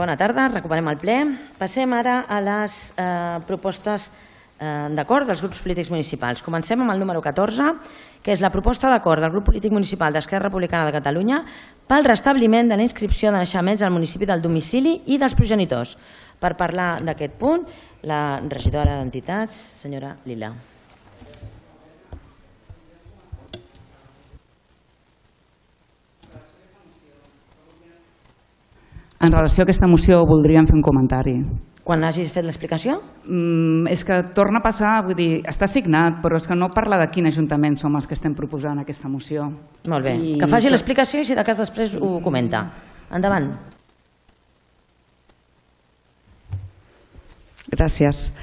Bona tarda, recuperem el ple. Passem ara a les propostes d'acord dels grups polítics municipals. Comencem amb el número 14, que és la proposta d'acord del grup polític municipal d'Esquerra Republicana de Catalunya pel restabliment de la inscripció de naixements al municipi del domicili i dels progenitors. Per parlar d'aquest punt, la regidora d'Entitats, senyora Lila. En relació a aquesta moció voldríem fer un comentari. Quan hagis fet l'explicació? És que torna a passar, vull dir, està signat, però és que no parla de quin ajuntament som els que estem proposant aquesta moció. Molt bé, que faci l'explicació i si de cas després ho comenta. Endavant. Gràcies.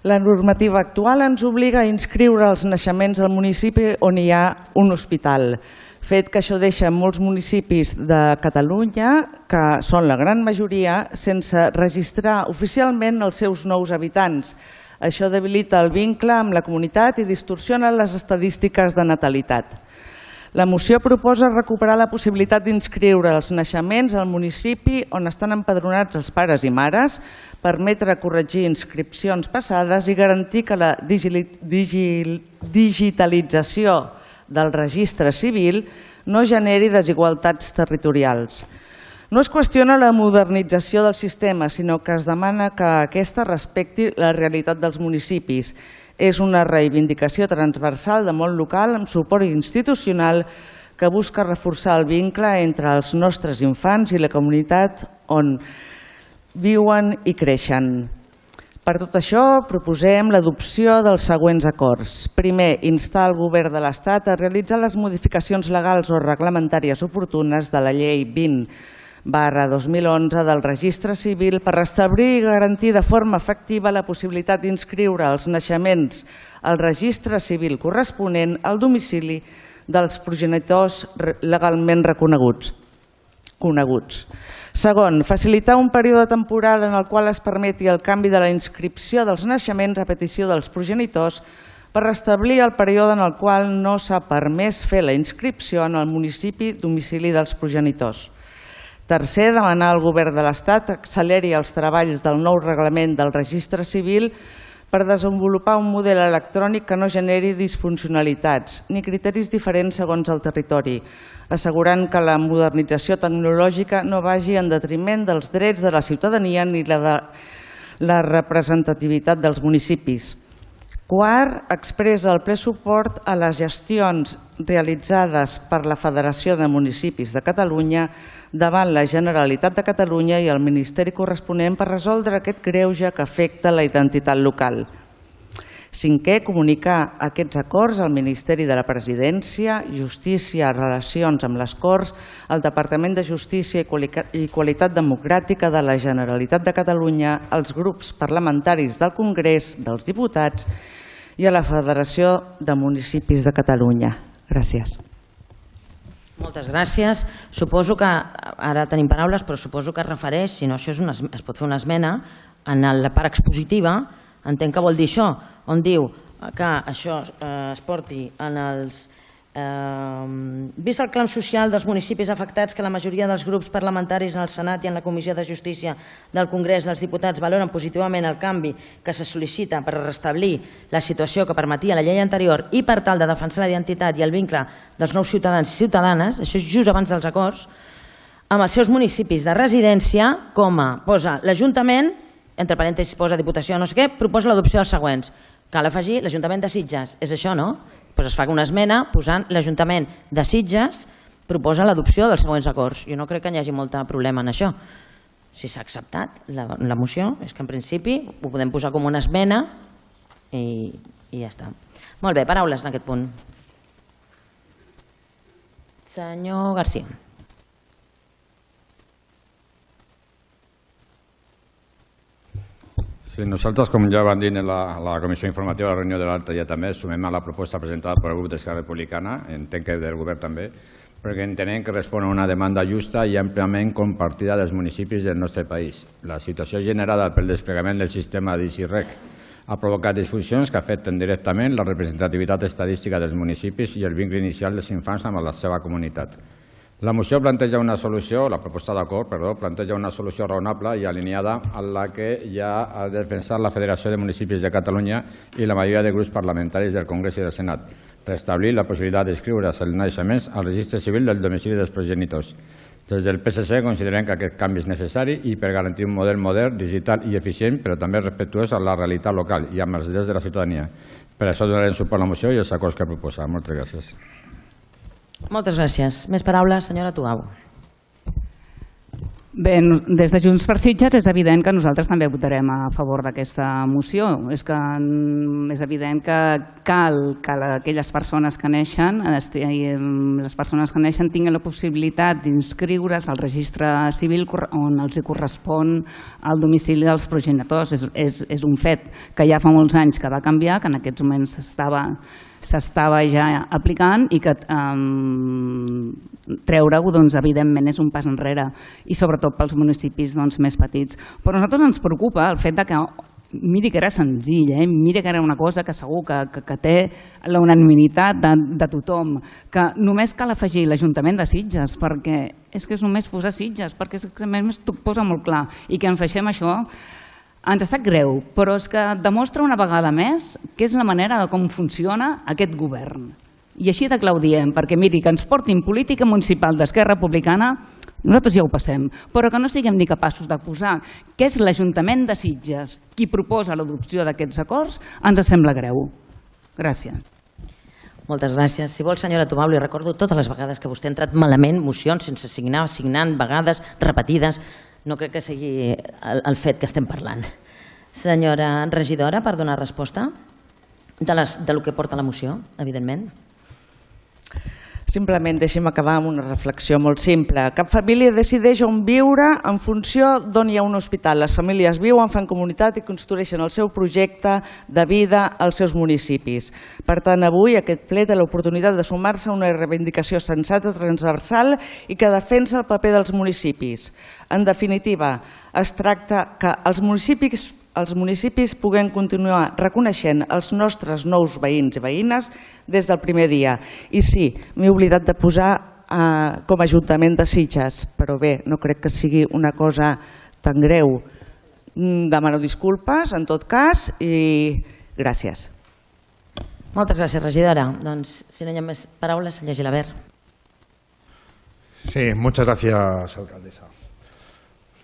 La normativa actual ens obliga a inscriure els naixements al municipi on hi ha un hospital, fet que això deixa molts municipis de Catalunya, que són la gran majoria, sense registrar oficialment els seus nous habitants. Això debilita el vincle amb la comunitat i distorsiona les estadístiques de natalitat. La moció proposa recuperar la possibilitat d'inscriure els naixements al municipi on estan empadronats els pares i mares, permetre corregir inscripcions passades i garantir que la digitalització del registre civil no generi desigualtats territorials. No es qüestiona la modernització del sistema, sinó que es demana que aquesta respecti la realitat dels municipis. És una reivindicació transversal de món local amb suport institucional que busca reforçar el vincle entre els nostres infants i la comunitat on viuen i creixen. Per tot això, proposem l'adopció dels següents acords. Primer, instar el Govern de l'Estat a realitzar les modificacions legals o reglamentàries oportunes de la Llei 20/2011 del Registre Civil per restablir i garantir de forma efectiva la possibilitat d'inscriure els naixements al Registre Civil corresponent al domicili dels progenitors legalment reconeguts. Segon, facilitar un període temporal en el qual es permeti el canvi de la inscripció dels naixements a petició dels progenitors per restablir el període en el qual no s'ha permès fer la inscripció en el municipi domicili dels progenitors. Tercer, demanar al Govern de l'Estat que acceleri els treballs del nou reglament del Registre Civil per desenvolupar un model electrònic que no generi disfuncionalitats ni criteris diferents segons el territori, assegurant que la modernització tecnològica no vagi en detriment dels drets de la ciutadania ni la representativitat dels municipis. Quart, expressa el ple suport a les gestions realitzades per la Federació de Municipis de Catalunya davant la Generalitat de Catalunya i el Ministeri corresponent per resoldre aquest greuge que afecta la identitat local. Cinquè, comunicar aquests acords al Ministeri de la Presidència, Justícia, Relacions amb les Corts, al Departament de Justícia i Qualitat Democràtica de la Generalitat de Catalunya, als grups parlamentaris del Congrés dels Diputats i a la Federació de Municipis de Catalunya. Gràcies. Moltes gràcies. Suposo que, ara tenim paraules, però suposo que es refereix, si no això es pot fer una esmena, en la part expositiva, entenc que vol dir això, on diu que això es porti en els... Vist el clam social dels municipis afectats que la majoria dels grups parlamentaris en el Senat i en la Comissió de Justícia del Congrés dels Diputats valoren positivament el canvi que se sol·licita per restablir la situació que permetia la llei anterior i per tal de defensar la identitat i el vincle dels nous ciutadans i ciutadanes, això és just abans dels acords, amb els seus municipis de residència, posa l'Ajuntament, entre parèntesis posa Diputació no sé què, proposa l'adopció dels següents. Cal afegir l'Ajuntament de Sitges, és això, no? Doncs es fa una esmena posant l'Ajuntament de Sitges proposa l'adopció dels següents acords. Jo no crec que hi hagi molt problema en això. Si s'ha acceptat la moció, és que en principi ho podem posar com una esmena i ja està. Molt bé, paraules en aquest punt. Senyor García. Sí, nosaltres, com ja vam dir en la comissió informativa de la reunió de l'altre dia també, sumem a la proposta presentada pel grup d'Esquerra Republicana, entenc que del govern també, perquè entenem que respon a una demanda justa i àmpliament compartida dels municipis del nostre país. La situació generada pel desplegament del sistema d'ICIREC ha provocat disfuncions que afecten directament la representativitat estadística dels municipis i el vincle inicial dels infants amb la seva comunitat. La moció planteja una solució, la proposta d'acord, perdó, planteja una solució raonable i alineada a la que ja ha defensat la Federació de Municipis de Catalunya i la majoria de grups parlamentaris del Congrés i del Senat, restablir la possibilitat d'inscriure's els naixements al registre civil del domicili dels progenitors. Des del PSC considerem que aquest canvi és necessari i per garantir un model modern, digital i eficient, però també respectuós a la realitat local i amb els drets de la ciutadania. Per això donarem suport a la moció i els acords que proposa. Moltes gràcies. Moltes gràcies. Més paraules, senyora Tugau. Bé, des de Junts per Sitges és evident que nosaltres també votarem a favor d'aquesta moció. És evident que cal que aquelles persones que neixen, les persones que neixen tinguin la possibilitat d'inscriure's al registre civil on els correspon el domicili dels progenitors. És un fet que ja fa molts anys que va canviar, que en aquests moments s'estava ja aplicant i que treure-ho evidentment és un pas enrere i sobretot pels municipis més petits. Però a nosaltres ens preocupa el fet que miri que era senzill, miri que era una cosa que segur que té la unanimitat de tothom, que només cal afegir l'Ajuntament de Sitges, perquè és que és només posar Sitges, perquè és que més t'ho posa molt clar, i que ens deixem això. Ens sap greu, però és que demostra una vegada més que és la manera de com funciona aquest govern. I així de clar ho diem, perquè miri, que ens portin política municipal d'Esquerra Republicana, nosaltres ja ho passem, però que no siguem ni capaços de posar que és l'Ajuntament de Sitges qui proposa l'adopció d'aquests acords, ens sembla greu. Gràcies. Moltes gràcies. Si vol, senyora Tubau, li recordo totes les vegades que vostè ha entrat malament mocions sense signar, signant vegades repetides. No crec que sigui el fet que estem parlant. Senyora regidora, per donar resposta del que porta la moció, evidentment. Simplement deixi'm acabar amb una reflexió molt simple. Cap família decideix on viure en funció d'on hi ha un hospital. Les famílies viuen, fan comunitat i construeixen el seu projecte de vida als seus municipis. Per tant, avui aquest ple té l'oportunitat de sumar-se a una reivindicació sensata, transversal i que defensa el paper dels municipis. En definitiva, es tracta que els municipis puguem continuar reconeixent els nostres nous veïns i veïnes des del primer dia. I sí, m'he oblidat de posar com a Ajuntament de Sitges, però bé, no crec que sigui una cosa tan greu. Demano disculpes, en tot cas, i gràcies. Moltes gràcies, regidora. Doncs, si no hi ha més paraules, senyor Gilabert. Sí, muchas gracias, alcaldesa.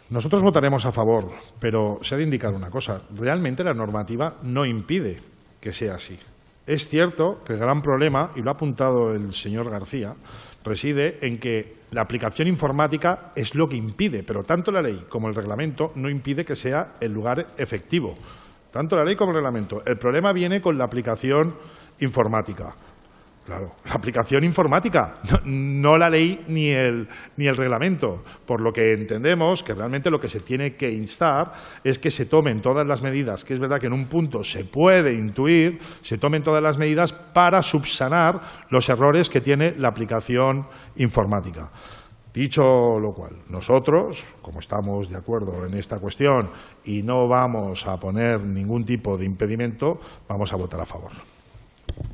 Nosotros votaremos a favor, pero se ha de indicar una cosa. Realmente la normativa no impide que sea así. Es cierto que el gran problema, y lo ha apuntado el señor García, reside en que la aplicación informática es lo que impide, pero tanto la ley como el reglamento no impide que sea el lugar efectivo. Tanto la ley como el reglamento. El problema viene con la aplicación informática. Claro, la aplicación informática, no la ley ni el reglamento. Por lo que entendemos que realmente lo que se tiene que instar es que se tomen todas las medidas, que es verdad que en un punto se puede intuir, se tomen todas las medidas para subsanar los errores que tiene la aplicación informática. Dicho lo cual, nosotros, como estamos de acuerdo en esta cuestión y no vamos a poner ningún tipo de impedimento, vamos a votar a favor.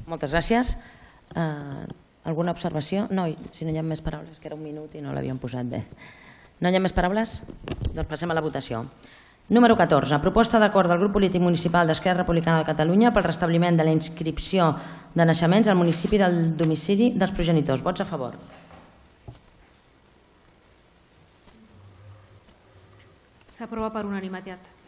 Moltes gràcies. Alguna observació? No, si no hi ha més paraules, que era un minut i no l'havíem posat bé. No hi ha més paraules? Doncs passem a la votació. Número 14. Proposta d'acord del grup polític municipal d'Esquerra Republicana de Catalunya pel restabliment de la inscripció de naixements al municipi del domicili dels progenitors. Vots a favor. S'aprova per unanimitat.